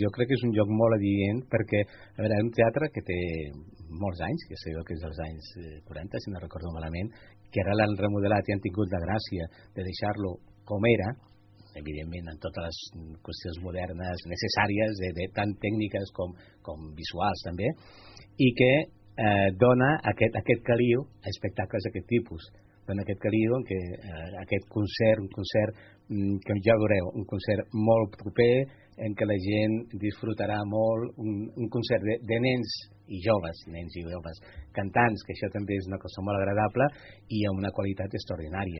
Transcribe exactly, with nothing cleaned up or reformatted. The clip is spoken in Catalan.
Jo crec que és un lloc molt adient perquè, a veure, és un teatre que té molts anys, que sé jo que és dels anys quaranta, si no recordo malament, que ara l'han remodelat i han tingut la gràcia de deixar-lo com era, evidentment amb totes les qüestions modernes necessàries, de, de, tant tècniques com, com visuals també, i que eh, dona aquest, aquest caliu a espectacles d'aquest tipus. Dona aquest caliu en què eh, aquest concert, un concert mm, que ja veureu, un concert molt proper, en què la gent disfrutarà molt, un, un concert de, de nens i joves, nens i joves cantants, que això també és una cosa molt agradable i amb una qualitat extraordinària.